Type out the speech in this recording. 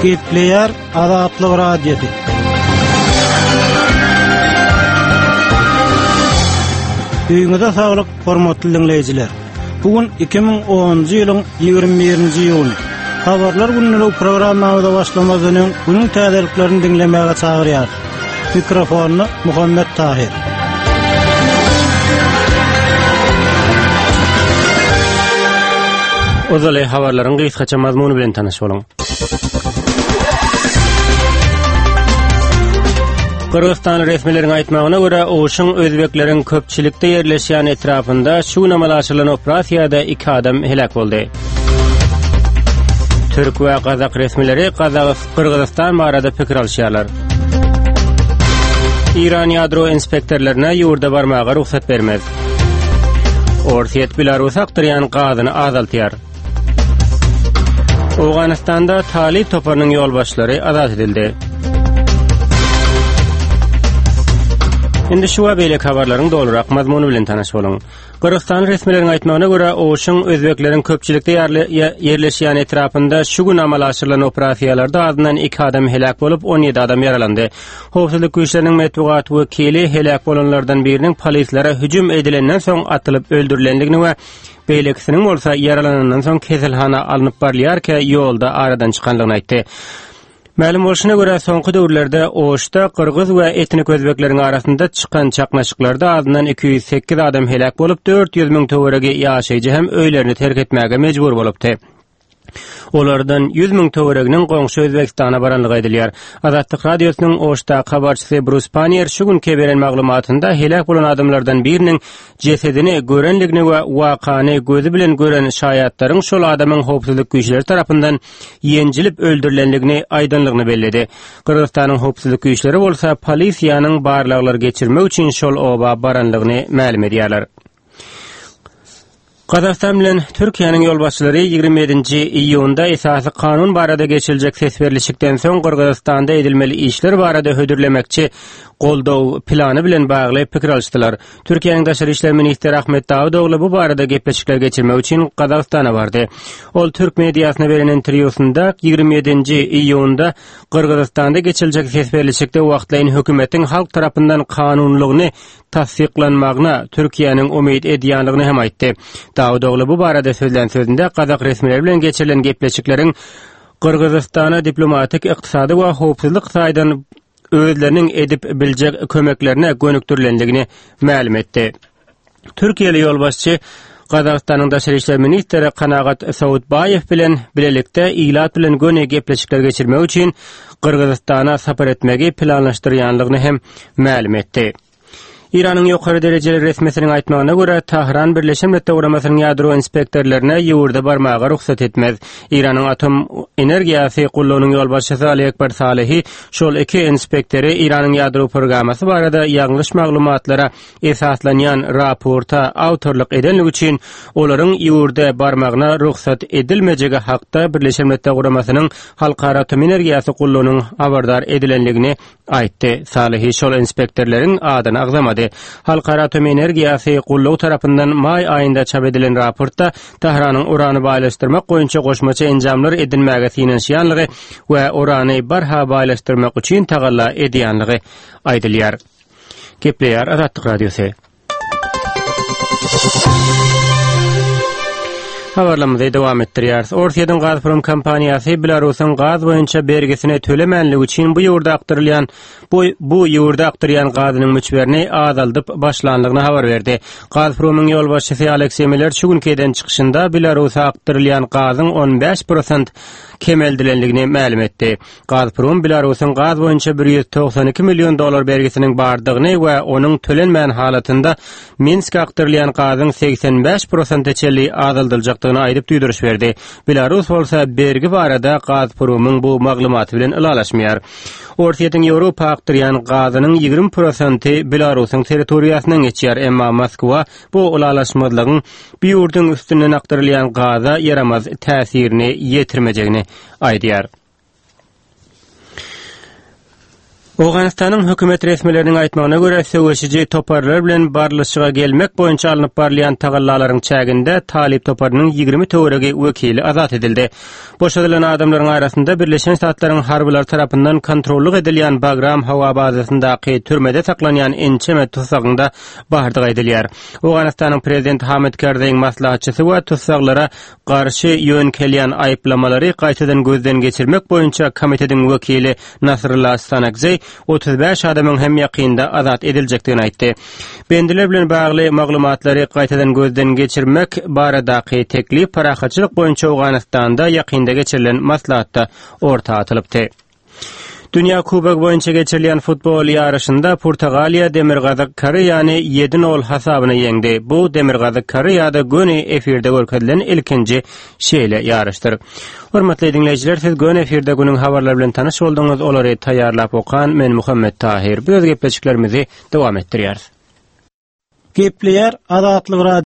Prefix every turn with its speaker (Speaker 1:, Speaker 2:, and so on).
Speaker 1: Gepleýär Azatlyk Radiosy. Öýüňize saglyk, hormatly diňleýjiler. Bu gün 2010-njy ýylyň 21-nji iýuny. Habarlar günlügi programmamyza başlamazdan öň günüň täzeliklerini diňlemäge çagyrýarys. Mikrofonda Muhammet Tahyr.
Speaker 2: Ozaly habarlaryň gysgaça mazmuny bilen tanyş boluň. Gyrgyzystan resmileriň aýtmagyna görä, Oşuň özbekleriň köpçülikde ýerleşýän etrapynda şu gün amala aşyrylan operasiýada iki adam heläk boldy. Türk we gazak resmileri Gyrgyzystan barada pikir alyşýarlar. Eýran ýadro inspektorlaryna ýurda barmaga rugsat bermez. Orsýet Belarusa akdyrýan gazyny azaltýar. Owganystanda Talyp toparynyň ýolbaşçylary azat edildi. Indi şu we beýleki habarlaryň dolurak mazmuny bilen tanyş boluň. Gyrgyzystan resmileriň aýtmagyna görä, Oşuň özbekleriň köpçülikde ýerleşýän etrapynda şu gün amala aşyrylan operasiýalarda azyndan iki adam heläk bolup, 17 adam ýaralandy. Howpsuzlyk güýçleriniň metbugat wekili heläk bolanlardan biriniň polislere hüjüm edilenden soň atylyp öldürilendigini we beýlekisiniň bolsa ýaralanandan soň keselhana alnyp barylýarka ýolda aradan çykandygyny aýtdy. Mälim bolşuna görä, soňky döwürlerde Oşda gyrgyz we etnik özbekleriň arasynda çykan çaknyşyklarda azyndan 208 adam heläk bolup, 400 müň töweregi ýaşaýjy hem öýlerini terk etmäge mejbur bolupdy. Olardan 100 müň töwereginiň goňşy Özbegistana baranlygy aýdylýar. Azatlyk Radiosynyň Oşdaky habarçysy Brus Panier şu günki beren maglumatynda heläk bolan adamlardan biriniň jesedini görenligini we wakany gözi bilen gören şaýatlaryň şol adamyň howpsuzlyk güýçleri tarapyndan ýenjilip öldürilenligini aýdanlygyny belledi. Gyrgyzystanyň howpsuzlyk güýçleri bolsa polisiýanyň barlaglar geçirmek üçin şol oba baranlygyny mälim edýärler. Gazagystan bilen Türkiýäniň ýolbaşçylary 27-nji iýunda esasy kanun barada geçiriljek ses berlişikden soň Gyrgyzystanda edilmeli işler barada hödürlemekçi goldaw plany bilen bagly pikir alyşdylar. Türkiýäniň daşary işler ministri Ahmet Dawutogly bu barada gepleşikler geçirmek üçin Gazagystana bardy. Ol türk mediasyna beren interwýusynda 27-nji iýunda Gyrgyzystanda geçiriljek ses berlişikde wagtlaýyn hökümetiň halk tarapyndan kanunylygyny tassyklanmagyna Türkiýäniň umyt edýändigini hem aýtdy. Dawutogly bu barada sözlän sözünde gazak resmileri bilen geçirilen gepleşikleriň Gyrgyzystana diplomatik, ykdysady we howpsuzlyk taýdan özleriniň edip biljek kömeklerine gönükdirilendigini mälim etdi. Türkiýeli ýolbaşçy Gazagystanyň daşary işler ministri Kanagat Sawutbaýew bilen bilelikde ilat bilen göni gepleşikler geçirmek üçin Gyrgyzystana sapar etmegi planlaşdyrýandygyny hem mälim etdi. Eýranyň ýokary derejeli resmisiniň aýtmagyna görä, Tahran Birleşen Milletler Guramasynyň ýadro inspektorlaryna ýurda barmaga rugsat etmez. Eýranyň atom energiýasy gullugynyň ýolbaşçysy Ali Ekber Salehi şol iki inspektory Eýranyň ýadro programmasy barada ýalňyş maglumatlara esaslanýan raporta awtorlyk edenligi üçin olaryň ýurda barmagyna rugsat edilmejegi hakda Birleşen Milletler Guramasynyň Halkara atom energiýasy gullugynyň habardar edilendigini aýtdy. Salehi şol inspektorlaryň adyny agzamady. Halkara atom energiýasy gullugy tarapyndan maý aýynda çap edilen raportda Tähranyň urany baýlaşdyrmak boýunça goşmaça enjamlar edinmäge synanyşýanlygy we urany barha baýlaşdyrmak üçin tagalla edýänligi aýdylýar. Gepleýär Azatlyk Radiosy. Habarlarymyzy dowam etdirýäris. Orsýetiň Gazprom kompaniýasy Belarusyň gaz boýunça bergisini tölemänligi üçin bu ýurda akdyrylýan bu, bu ýurda akdyrýan gazynyň möçberini azaldyp başlandygyny habar berdi. Gazpromyň ýolbaşçysy Alekseý Miller şu günki eden çykyşynda Belarusa akdyrylýan gazyň 15 prosent kemeldilendigini mälim etdi. Gazprom Belarusyň gaz boýunça 192 million dollar bergisiniň bardygyny we onuň tölenmän halatynda Minske akdyrylýan gazyň 85 prosente çenli azaldyljakdygyny aýdyp duýduryş berdi. Belarus bolsa bergi barada Gazpromyň bu maglumaty bilen ylalaşmaýar. Orsýetiň Ýewropa akdyrýan gazynyň 20 prosenti Belarusyň territoriýasyndan geçýär, emma Moskwa bu ylalaşmazlygyň bu ýurduň üstünden akdyrylýan gaza ýaramaz täsirini ýetirmejegini aýdýar. Owganystanyň hökümet resmileriniň aýtmagyna görä, söweşiji toparlar bilen barlyşyga gelmek boýunça alnyp barylýan tagallalaryň çäginde Talyp toparynyň 20 töweregi wekili azat edildi. Boşadylan adamlaryň arasynda Birleşen Ştatlaryň harbylary tarapyndan kontrollyk edilýän Bagram howa bazasyndaky türmede saklanýan ençeme tussagyň-da bardygy aýdylýar. Owganystanyň prezidenti Hamid Karzaýyň maslahatçysy we tussaglara garşy ýöňkelýän aýyplamalary gaýtadan gözden geçirmek boýunça komitetiň wekili Nasrullah Stanakzeý 35 adamyň hem ýakynda azat ediljekdigini aýtdy. Bendiler bilen bagly maglumatlary gaýtadan gözden geçirmek baradaky teklip parahatçylyk boýunça Owganystanda ýakynda geçirilen maslahatda orta atylypdy. Dünýä Kubogy boýunça geçirilýän futbol ýaryşynda Portugaliýa Demirgazyk Koreýany 7-0 hasabyna ýeňdi. Bu Demirgazyk Koreýada göni efirde görkezilen ilkinji şeýle ýaryşdyr. Hormatly diňleýjiler, siz göni efirde günüň habarlary bilen tanyş bolduňyz. Olary taýýarlap okan men Muhammet Tahyr. Biz öz gepleşiklerimizi dowam etdirýäris.
Speaker 1: Gepleýär Azatlyk Radiosy.